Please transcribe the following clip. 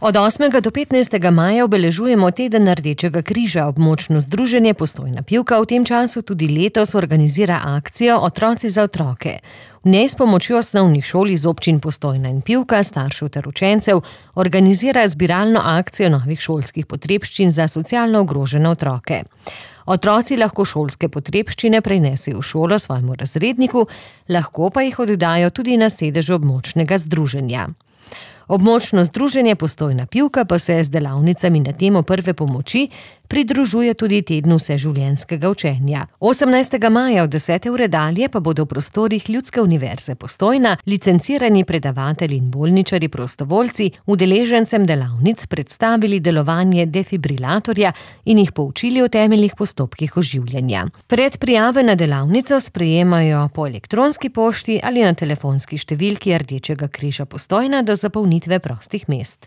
Od 8. do 15. maja obeležujemo Teden Rdečega križa. Območno združenje Postojna Pivka v tem času tudi letos organizira akcijo Otroci za otroke. V njej s pomočjo osnovnih šol iz občin Postojna in Pivka, staršev ter učencev, organizira zbiralno akcijo novih šolskih potrebščin za socialno ogrožene otroke. Otroci lahko šolske potrebščine prinesejo v šolo svojemu razredniku, lahko pa jih oddajo tudi na sedežu območnega združenja. Območno združenje Postojna Pivka pa se z delavnicami na temo prve pomoči pridružuje tudi tednu vseživljenjskega učenja. 18. maja od 10. ure dalje pa bodo v prostorih Ljudske univerze Postojna licencirani predavatelji in bolničarji prostovoljci udeležencem delavnic predstavili delovanje defibrilatorja in jih poučili o temeljnih postopkih oživljanja. Predprijave na delavnico sprejemajo po elektronski pošti ali na telefonski številki Rdečega križa Postojna do zapolnitve prostih mest.